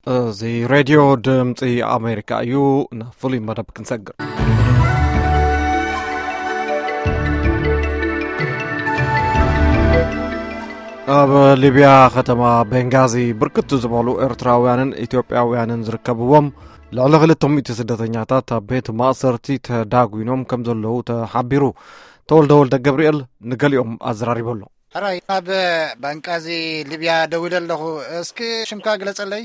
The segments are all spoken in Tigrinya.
እዚ ሬድዮ ድምፂ ኣሜሪካ እዩ። ናብ ፍሉይ መደብ ክንሰግር። ኣብ ሊብያ ከተማ ቤንጋዚ ብርክት ዝበሉ ኤርትራውያንን ኢትዮጵያውያንን ዝርከብዎም ልዕሊ ክልተ ሚእቲ ስደተኛታት ኣብ ቤት ማእሰርቲ ተዳጒኖም ከም ዘለዉ ተሓቢሩ። ተወልደ ወልደ ገብርኤል ንገሊኦም ኣዘራሪቡ ኣሎ። ሕራይ፣ ኣብ ባንቃዚ ሊብያ ደዊለ ኣለኹ። እስኪ ሽምካ ግለጸለይ።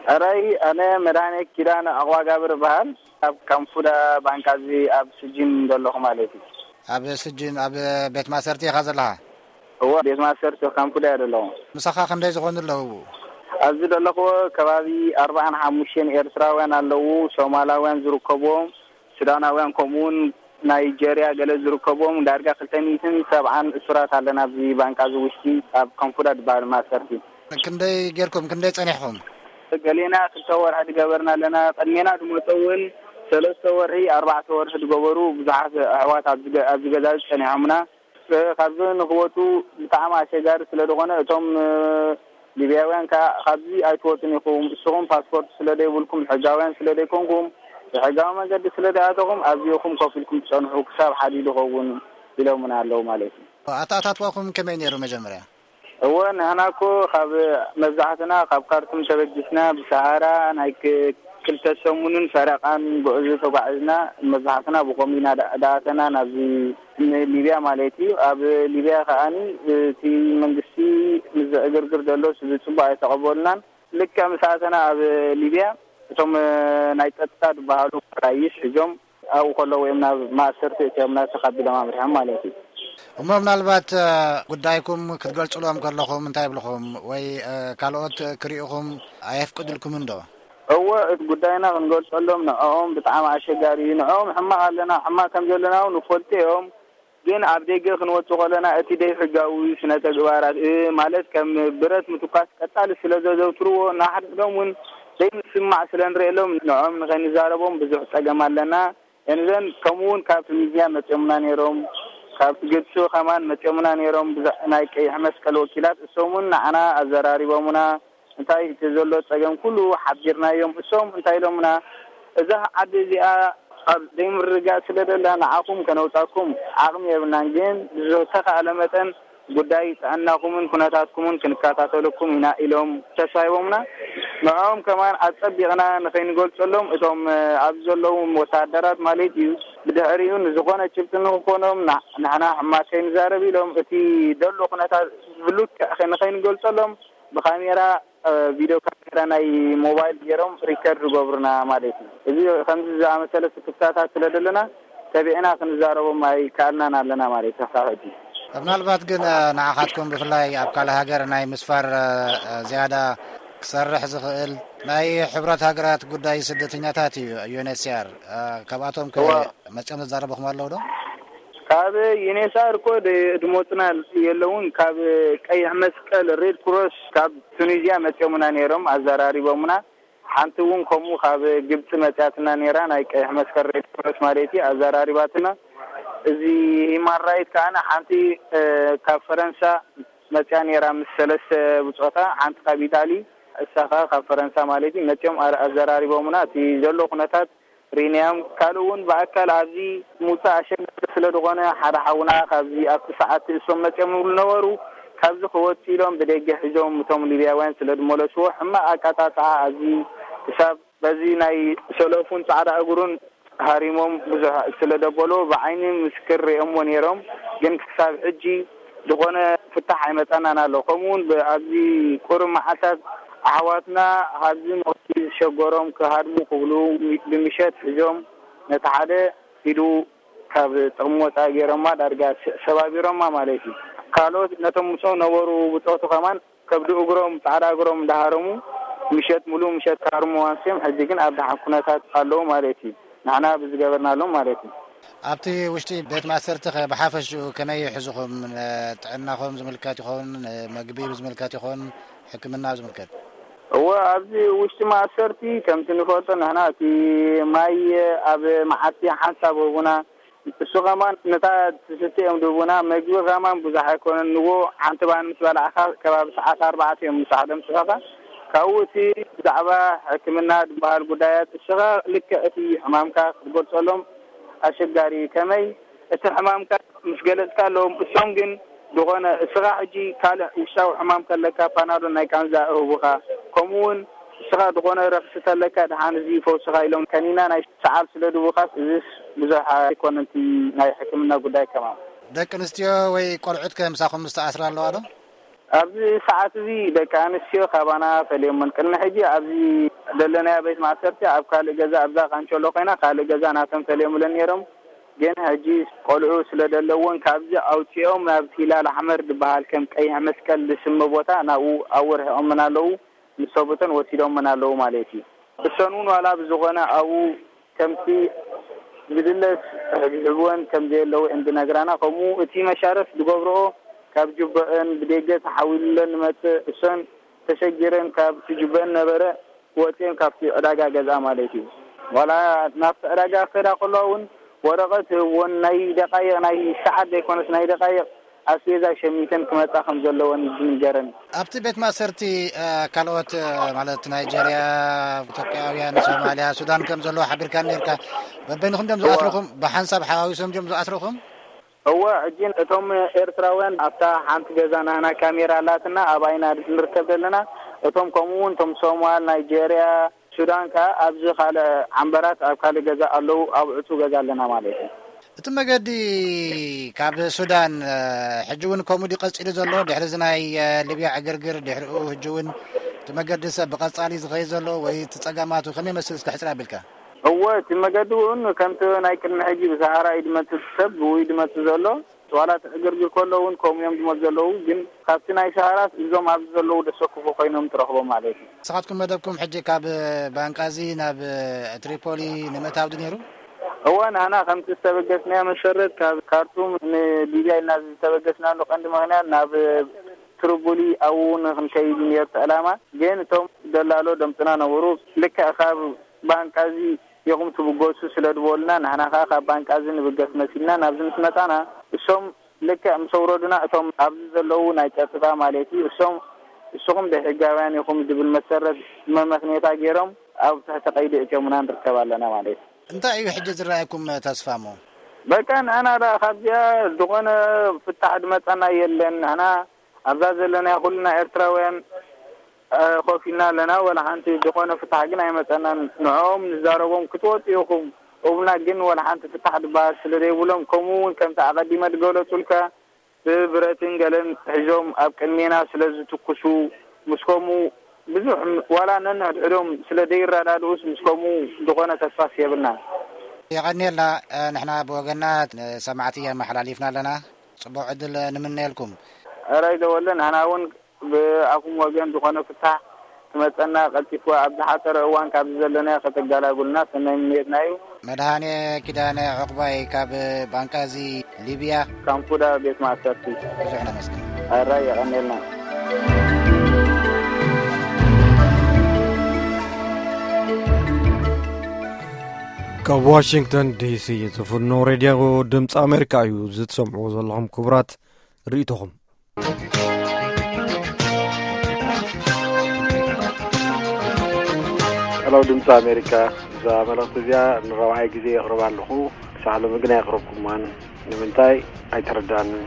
ሕራይ፣ ኣነ መድሃኔ ኪዳነ ኣቕዋጋብር እበሃል። ኣብ ካምፉዳ ባንቃዚ ኣብ ስጅን ዘለኹ ማለት እዩ። ኣብ ስጅን፣ ኣብ ቤት ማእሰርቲ ኢኻ ዘለኻ? እወ፣ ቤት ማእሰርቲ ካምፉዳ እየ ዘለኹ። ምሳኻ ክንደይ ዝኾኑ ኣለዉ? ኣብዚ ዘለኹዎ ከባቢ ኣርባዓን ሓሙሽተን ኤርትራውያን ኣለዉ፣ ሶማላውያን ዝርከብዎም፣ ሱዳናውያን፣ ከምኡውን ናይጀርያ ገለ ዝርከብዎም ዳርጋ ክልተ ሚእትን ሰብዓን እሱራት ኣለና ኣብዚ ባንቃዚ ውሽጢ ኣብ ካምፉዳ ዝበሃል ማእሰርቲ። ክንደይ ጌርኩም? ክንደይ ጸኒሕኩም? ገሌና ክልተ ወርሒ ዝገበርና ኣለና። ቅድሜና ዝመጸ እውን ሰለስተ ወርሒ፣ ኣርባዕተ ወርሒ ዝገበሩ ብዙሓት ኣሕዋት ኣብዚ ገ-፣ ኣብዚ ገዛ እዚ ጸኒሖምና። እ፣ ካብዚ ንክወጹ ብጣዕሚ ኣሸጋሪ ስለ ዝኾነ፣ እቶም፣ እ፣ ሊብያውያን ከኣ፣ "ካብዚ ኣይትወጹን ኢኹም፣ እስኹም ፓስፖርት ስለ ዘይብልኩም፣ ሕጋውያን ስለ ዘይኮንኩም፣ ብሕጋዊ መንገዲ ስለ ዘይኣተኹም፣ ኣብዚ ኢኹም ኮፍ ኢልኩም ትጸንሑ፣ ክሳብ ሓዲኡ ዝኸውን" ኢሎምና ኣለዉ ማለት እዩ። ኣተኣታትዋኹም ከመይ ነይሩ መጀመርያ? እወ፣ ንሕና እኮ ካብ መብዛሕትና ካብ ካርቱም ተበጊስና ብሰሃራ ናይ ክ-፣ ክልተ ሰሙንን ፈረቓን ጉዕዞ ተጓዒዝና፣ መብዛሕትና ብኸምኡ ኢና ዳ-፣ ዳኣተና ናብዚ ንሊብያ ማለት እዩ። ኣብ ሊብያ ከኣኒ እቲ መንግስቲ ምስ ዘዕግርግር ዘሎ ህዝቢ ጽቡቕ ኣይተቐበሉናን። ልክዕ ምስ ኣተና ኣብ ሊብያ እቶም ናይ ጸጥታ ዝበሃሉ ፖላይስ ሒዞም ኣብኡ ከለዉ እዮም ናብ ማእሰርቲ እትዮምና ተቐቢሎም ኣምሪሖም ማለት እዩ። እሞ ምናልባት፣ እ፣ ጉዳይኩም ክትገልጹሎም ከለኹም እንታይ ይብልኹም? ወይ፣ እ፣ ካልኦት ክርእዩኹም ኣየፍቅድልኩምን ዶ? እወ፣ እቲ ጉዳይና ክንገልጸሎም ንዕኦም ብጣዕሚ ኣሸጋሪ እዩ። ንዕኦም ሕማቕ ኣለና፣ ሕማቕ ከም ዘለና እውን ይፈልጡ እዮም። ግን ኣብ ደገ ክንወጽእ ከለና እቲ ዘይሕጋዊ ስነ ተግባራት፣ እ፣ ማለት ከም ብረት ምትኳስ ቀጻሊ ስለ ዘዘውትርዎ፣ ንሓድሕዶም እውን ዘይምስምማዕ ስለ ንርእየሎም ንዕኦም ንኸይንዛረቦም ብዙሕ ጸገም ኣለና። And then ከምኡ እውን ካብ ቱኒዝያ መጺኦምና ነይሮም፣ ካብ ግብጺ ከማን መጺኦምና ነይሮም፣ ብዛ-፣ ናይ ቀይሕ መስቀል ወኪላት፣ እሶም እውን ንዓና ኣዘራሪቦምና፣ እንታይ እቲ ዘሎ ጸገም ኩሉ ሓቢርናዮም። እሶም እንታይ ኢሎምና፣ "እዛ ዓዲ እዚኣ ኣብ ዘይምርግጋእ ስለ ደላ ንዓኹም ከነውጻኩም ዓቕሚ የብልናን፣ ግን ብዝተኻእለ መጠን ጉዳይ ጥዕናኹምን ኩነታትኩምን ክንከታተለኩም ኢና" ኢሎም ተስፋ ሂቦምና። ንዕኦም ከማን ኣጸቢቕና ንኸይንገልጸሎም፣ እቶም፣ እ፣ ኣብዚ ዘለዉ ወተሃደራት ማለት እዩ፣ ብድሕሪኡ ንዝኾነ ጭብጢ ንኽኾኖም፣ ና-፣ ንሕና ሕማቅ ከይንዛረብ ኢሎም፣ እቲ ዘሎ ኩነታት ብልክዕ ከ-፣ ንኸይንገልጸሎም ብካሜራ፣ እ፣ ቪድዮ ካሜራ ናይ ሞባይል ገይሮም ሪከርድ ዝገብሩና ማለት እዩ። እዚ ከምዚ ዝኣመሰለ ስክፍታታት ስለ ዘለና፣ ተቢዕና ክንዛረቦም ኣይከኣልናን ኣለና ማለት እዩ፣ ክሳብ ሕጂ። ምናልባት ግን፣ እ፣ ንዓኻትኩም ብፍላይ ኣብ ካልእ ሃገር ናይ ምስፋር፣ እ፣ እ፣ ዝያዳ ክሰርሕ ዝኽእል ናይ ሕብረት ሃገራት ጉዳይ ስደተኛታት እዩ፣ ዩ ኤን ኤች ሲ ኣር። እ፣ ካብኣቶም ከ እወ። መጺኦም ዘዛረበኹም ኣለዉ ዶ? ካብ ዩ ኤን ኤች ሲ ኣር እኮ ደ-፣ ድሞጽና የለውን። ካብ ቀይሕ መስቀል፣ ሬድ ክሮስ፣ ካብ ቱኒዝያ መጺኦምና ነይሮም፣ ኣዘራሪቦምና። ሓንቲ እውን ከምኡ ካብ ግብጺ መጺኣትና ነይራ፣ ናይ ቀይሕ መስቀል፣ ሬድ ክሮስ ማለት እዩ፣ ኣዘራሪባትና። እዚ ሂማን ራይት ከኣ ሓንቲ፣ እ፣ ካብ ፈረንሳ መጺኣ ነይራ ምስ ሰለስተ ብጾታ፣ ሓንቲ ካብ ኢጣሊ፣ እሳ ከኣ ካብ ፈረንሳ ማለት እዩ። መጺኦም ኣር-፣ ኣዘራሪቦምና። እቲ ዘሎ ኩነታት ሪናዮም። ካልእ እውን ብኣካል ኣብዚ ምውጻእ ኣሸጋሪ ስለ ዝኾነ፣ ሓደ ሓውና ካብዚ ኣብቲ ሰዓት እሶም መጺኦም ዝብሉ ነበሩ። ካብዚ ክወጽእ ኢሎም ብደገ ሒዞም እቶም ሊብያውያን ስለ ዝመለስዎ፣ ሕማቕ ኣቀጣጥዓ ኣብዚ ክሳብ በዚ ናይ ሰለፉን ጻዕዳ እግሩን ሃሪሞም ብዙሕ ስለ ደበሎ፣ ብዓይኒ ምስክር ርእዮምዎ ነይሮም። ግን ክሳብ ሕጂ ዝኾነ ፍታሕ ኣይመጸናን ኣሎ። ከምኡ እውን ብ-፣ ኣብዚ ቁሩብ መዓልታት ኣሕዋትና ኣብዚ ሞት ዝሸገሮም ክሃድሙ ክብሉ ሚ-፣ ብምሸት ሒዞም ነቲ ሓደ ኢዱ ካብ ጥቕሚ ወጻኢ ገይሮማ፣ ዳርጋ ስ-፣ ሰባቢሮማ ማለት እዩ። ካልኦት ነቶም ምስኦም ነበሩ ብጾቱ ከማን ከብዲ እግሮም፣ ጻዕዳ እግሮም እንዳሃረሙ ምሸት ሙሉእ ምሸት ክሃርሙ ኣንስዮም፣ ሕጂ ግን ኣብ ደሓን ኩነታት ኣለዉ ማለት እዩ። ንሕና ብዝገበርናሎም ማለት እዩ። ኣብቲ ውሽጢ ቤት ማእሰርቲ ኸ ብሓፈሽኡ ከመይ ይሕዙኹም? ን-፣ ጥዕናኹም ዝምልከት ይኸውን፣ ን-፣ መግቢ ዝምልከት ይኸውን፣ ሕክምና ዝምልከት? እወ፣ ኣብዚ ውሽጢ ማእሰርቲ ከምቲ ንፈልጦ ንሕና እቲ ማይ ኣብ መዓልቲ ሓንሳብ ህቡና፣ እሱ ኸማን ነታ ትስተ እዮም ድህቡና። መግቢ ኸማን ብዙሕ ኣይኮነን። ንጎ ሓንቲ ባኒ ምስ በላዕኻ ከባቢ ሰዓት ኣርባዕተ እዮም ምሳሕ ደምስሳኻ። ካብኡ እቲ ብዛዕባ ሕክምና ዝበሃል ጉዳያት፣ እስኻ ልክዕ እቲ ሕማምካ ክትገልጸሎም ኣሸጋሪ እዩ። ከመይ እቲ ሕማምካ ምስ ገለጽካሎም፣ እሶም ግን ዝኾነ፣ እስኻ ሕጂ ካልእ ውሽጣዊ ሕማም ከለካ ፓናዶል ናይ ቃንዛ እህቡኻ፣ ከምኡ እውን እስኻ ዝኾነ ረኽሲ ተለካ፣ ደሓን እዚ ይፈውስኻ ኢሎም ከኒና ናይ ሰዓል ስለ ድቡኻስ፣ እዚስ ብዙሕ ኣይኮነን እቲ ናይ ሕክምና ጉዳይ ከማን። ደቂ ኣንስትዮ ወይ ቆልዑት ከ ምሳኹም ዝተኣስራ ኣለዋ ዶ? ኣብዚ ሰዓት እዚ ደቂ ኣንስትዮ ካባና ፈልዮመን። ቅድሚ ሕጂ ኣብዚ ዘለናዮ ቤት ማእሰርቲ ኣብ ካልእ ገዛ፣ ኣብዛ ካንቸሎ ኮይና ካልእ ገዛ ናቶም ፈልዮምለን ነይሮም። ግን ሕጂ ቆልዑ ስለ ዘለውን ካብዚ ኣውፂኦም ናብ ሂላል ኣሕመር ዝበሃል ከም ቀይሕ መስቀል ዝስመ ቦታ ናብኡ ኣወርሒኦምን ኣለዉ። ምስ ሰቡተን ወሲዶምን ኣለዉ ማለት እዩ። እሰን እውን ዋላ ብዝኾነ ኣብኡ ከምቲ ዝድለስ ይሕብሕብወን ከም ዘየለዉ እየን ዝነግራና። ከምኡ እቲ መሻረፍ ዝገብርኦ ካብ ጅብዐን ብደገ ተሓዊሉለን ንመጽእ፣ እሰን ተሸጊረን ካብቲ ጅብዐን ነበረ ወጽየን ካብቲ ዕዳጋ ገዝኣ ማለት እዩ። ዋላ ናብቲ ዕዳጋ ክኸዳ ከለዋ እውን ወረቐት ህብወን ናይ ደቃይቕ፣ ናይ ሰዓት ዘይኮነስ ናይ ደቃይቕ ኣስቤዛ ሸሚተን ክመጻ ከም ዘለወን እዩ ዝንገረን። ኣብቲ ቤት ማእሰርቲ እ፣ ካልኦት እ፣ ማለት ናይጀርያ፣ ኢትዮጵያውያን፣ ሶማልያ፣ ሱዳን ከም ዘለዉ ሓቢርካ ነርካ። በበይንኹም ድዮም እዋ። ዝኣስርኹም? ብሓንሳብ ሓዋዊሶም ድዮም ዝኣስርኹም? እወ፣ ሕጂ እቶም ኤርትራውያን ኣብታ ሓንቲ ገዛ ናህና ካሜራ ኣላትና፣ ኣብኣ ኢና ንርከብ ዘለና። እቶም ከምኡ እውን እቶም ሶማል፣ ናይጀርያ፣ ሱዳን ከኣ ኣብዚ ካልእ ዓምበራት ኣብ ካልእ ገዛ ኣለዉ፣ ኣብ ዕጹው ገዛ ኣለና ማለት እዩ። እቲ መገዲ ካብ ሱዳን፣ እ፣ ሕጂ እውን ከምኡ ድዩ ቀጺሉ ዘሎ? ድሕሪ እዚ ናይ፣ እ፣ ሊብያ ዕግርግር ድሕሪኡ ሕጂ እውን እቲ መገዲ ሰብ ብቐጻሊ ዝኸይድ ዘሎ ወይ እቲ ጸገማቱ ከመይ ይመስል እስከ ሕጽር ኣቢልካ? እወ፣ እቲ መገዲ እውን ከምቲ ናይ ቅድሚ ሕጂ ብሰሃራ እዩ ድመጽእ ሰብ ብኡ እዩ ድመጽእ ዘሎ። ዋላ እቲ ዕግርግር ከሎ እውን ከምኡ እዮም ዝመፁ ዘለዉ፣ ግን ካብቲ ናይ ሰሃራስ እዞም ኣብዚ ዘለዉ ደሰክፉ ኮይኖም ትረኽቦም ማለት እዩ። ንስኻትኩም መደብኩም ሕጂ ካብ ባንቃዚ ናብ ትሪፖሊ ንምእታው ድዩ ነይሩ? እወ፣ ንሕና ከምቲ ዝተበገስናዮ መሰረት ካብ ካርቱም ንሊብያ ኢልና ዝተበገስናሉ ቀንዲ ምኽንያት ናብ ትሪፖሊ ኣብኡ ንክንከይድ እዩ ነይሩ እቲ ዕላማ። ግን እቶም ደላሎ ደምፅና ነበሩ። ልክዕ ካብ ባንቃዚ ኢኹም ትብገሱ ስለ ዝበሉና፣ ንሕና ከኣ ካብ ባንቃዚ ንብገስ መሲልና ናብዚ ምስ መጻና፣ እሶም ልክዕ ምስ ኣውረዱና፣ እቶም ኣብዚ ዘለዉ ናይ ጸጥታ ማለት እዩ፣ እሶም፣ እስኹም ዘይሕጋውያን ኢኹም ዝብል መሰረት መመኽንየታ ገይሮም ኣብ ትሕቲ ቀይዲ እትዮምና ንርከብ ኣለና ማለት እዩ። እንታይ እዩ ሕጂ ዝረኣየኩም ተስፋ እሞ? በቃ ንሕና ደኣ ካብዚኣ ዝኾነ ፍታሕ ዝመጻና የለን። ንሕና ኣብዛ ዘለናዮ ኩልና ኤርትራውያን፣ እ፣ ኮፍ ኢልና ኣለና። ወላ ሓንቲ ዝኾነ ፍታሕ ግን ኣይመጸናን። ንዕኦም ንዛረቦም ክትወጹ ኢኹም እብሉና፣ ግን ወላ ሓንቲ ፍታሕ ዝበሃል ስለ ዘይብሎም፣ ከምኡ እውን ከምቲ ኣቐዲመ ዝገለጹልካ ብብረትን ገለን ሒዞም ኣብ ቅድሜና ስለ ዝትኩሱ፣ ምስ ከምኡ ብዙሕ ም-፣ ዋላ ነንሕድሕዶም ስለ ዘይረዳድኡስ ምስ ከምኡ ዝኾነ ተስፋስ የብልናን። የቐንየልና። እ፣ ንሕና ብወገንና ንሰማዕቲ የመሓላሊፍና ኣለና። ጽቡቕ ዕድል ንምነየልኩም። ሕራይ ዘወለ፣ ንሕና እውን ብኣኹም ወገን ዝኾነ ፍታሕ ክመጸና ቀልጢፉ ኣብ ዝሓጸረ እዋን ካብዚ ዘለናዮ ከተገላግሉና ሰናይ ምንየትና እዩ። መድሃኔ ኪዳነ ዑቕባይ ካብ ባንቃዚ ሊብያ። ካምፑዳ ቤት ማእሰርቲ። ብዙሕ ነመስግን። ሕራይ የቐንየልና። ካብ ዋሽንግተን ዲሲ ዝፍኖ ሬድዮ ድምፂ ኣሜሪካ እዩ ዝትሰምዕዎ ዘለኹም ክቡራት ርእይቶኹም። ሄሎ ድምፂ ኣሜሪካ፣ እዛ መልእኽቲ እዚኣ ንራብዓይ ግዜ የቕርባ ኣለኹ። ክሳዕ ሎሚ ግን ኣየቕረብኩማን። ንምንታይ ኣይተረዳንን።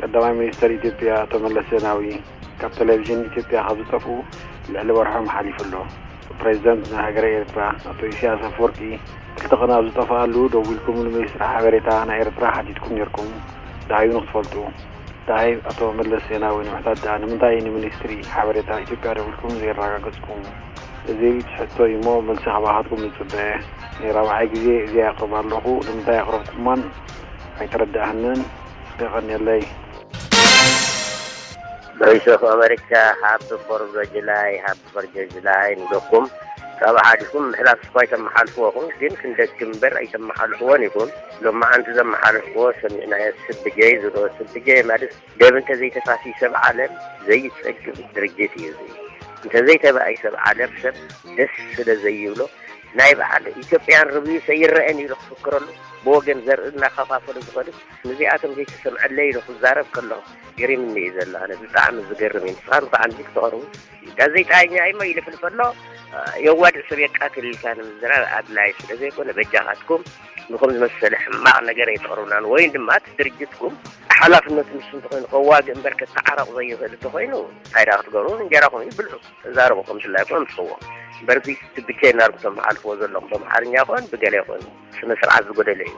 ቀዳማይ ሚኒስተር ኢትዮጵያ ኣቶ መለስ ዜናዊ ካብ ቴሌቪዥን ኢትዮጵያ ካብ ዝጠፍኡ ልዕሊ ወርሖም ሓሊፉ ኣሎ። ፕሬዚደንት ናይ ሃገረ ኤርትራ ኣቶ ኢሳያስ ኣፈወርቂ ክልተ ቀን ኣብ ዝጠፍኣሉ ደዊልኩም ንሚኒስትሪ ሓበሬታ ናይ ኤርትራ ሓቲትኩም ነይርኩም። ደሃዩ ንክትፈልጡ። ደሃይ ኣቶ መለስ ዜናዊ ንምሕታት ደኣ ንምንታይ ንሚኒስትሪ ሓበሬታ ኢትዮጵያ ደዊልኩም ዘየረጋገጽኩም? እዚ ሕቶ እዩ እሞ መልሲ ካባኻትኩም ንጽበ። ናይ ራብዓይ ግዜ እዚኣ የቕርባ ኣለኹ። ንምንታይ ኣቕረብኩማን ኣይተረድኣንን። የቐንየለይ። ቮይስ ኦፍ ኣሜሪካ፣ ሃፒ ፎርዝ ኦፍ ጁላይ፣ ሃፒ ፎርዝ ኦፍ ጁላይ ንብለኩም። ካብኡ ሓሊፍኩም ምሕላፍ እኳ ኣይተመሓልፍዎ ኢኹም፣ ግን ክንደግም እምበር ኣይተመሓልፍዎን ኢኹም። ሎማዓንቲ ዘመሓለፍዎ ሰሚዕናዮ፣ ስብጀይ ዝብሎ፣ ስብጀይ ማለት ደም እንተዘይተፋስዩ ሰብ ዓለም ዘይጸግብ ድርጅት እዩ እዚ። እንተዘይተባኢ ሰብ ዓለም ሰብ ደስ ስለ ዘይብሎ ናይ በዓል ኢትዮጵያን ርብዩስ ኣይረአን ኢሉ ክፍክረሉ፣ ብወገን ዘርኢ እናኸፋፈሉ ዝኸዱ፣ ንዚኣቶም ዘይተሰምዐለይ ኢሉ ክዛረብ ከሎ ገሪምኒ እዩ ዘሎ። ኣነ ብጣዕሚ ዝገርም እዩ። ንስኻን ብዓንዲ ክትቐርቡ፣ ጋዜጣኛ እሞ ይልፍልፍ ኣሎ። የዋድእ ሰብ የቃትል ኢልካ ንምዝራብ ኣድላይ ስለ ዘይኮነ፣ በጃኻትኩም ንኹም ዝመሰለ ሕማቕ ነገር ኣይተቕርቡናን፣ ወይን ድማ እቲ ድርጅትኩም ሓላፍነቱ ንሱ እንተኾይኑ ከዋግእ እምበር ከተዓረቕ ዘይኽእል እንተኾይኑ፣ እንታይ ደኣ ክትገብሩ? እንጀራኹም እዩ ብልዑ። ተዛረቡ፣ ከም ድላይኩም ኣምጽእዎ። እምበር እዚ ብቻ እናርጉቶም ሓልፍዎ ዘለኹም፣ ብኣምሓርኛ ይኹን ብገለ ይኹን ስነ ስርዓት ዝጎደለ እዩ።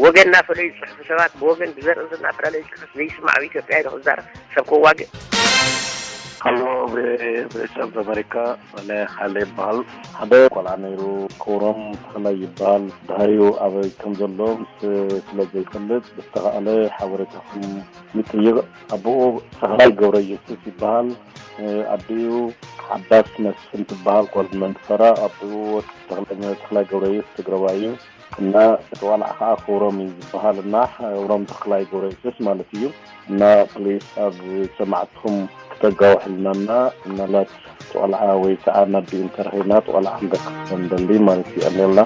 ወገን እናፈለዩ ዝጽሕፉ ሰባት ብወገን ብዘርኢ እናፈላለዩ ዝጽሕፍ ዘይስማዕ ኣብ ኢትዮጵያ ኢሉ ክዛረብ ሰብ ከዋግእ። ሃሎ፣ ብ- ብኤስኤፍ ኣሜሪካ፣ ኣነ ሓይለ ይበሃል። ሓደ ቆልዓ ነይሩ፣ ክብሮም ተኽላይ ይበሃል። ድሃዩ ኣበይ ከም ዘሎ ምስ ስለ ዘይፈልጥ፣ ብዝተኻእለ ሓበሬታኹም ይጥይቕ። ኣቦኡ ተኽላይ ገብረ ኢየሱስ ይበሃል። ኣዲኡ ሓዳስ መስፍን ትበሃል፣ ጓል መንፈራ። ኣቦኡ ወዲ ተኽለ- ተኽላይ ገብረ ኢየሱስ ትግረዋይ እዩ። እና እቲ ቆልዓ ከዓ ክብሮም እዩ ዝበሃል። እና ክብሮም ተኽላይ ገብረ ኢየሱስ ማለት እዩ። እና ፕሊስ ኣብ ሰማዕትኹም ክተጋውሕልና፣ እና ምናልባት እቲ ቆልዓ ወይ ከዓ ናብ ቢኢን ተረኺብና እቲ ቆልዓ ክንደቅስ ንደሊ ማለት እዩ። ኣሌላ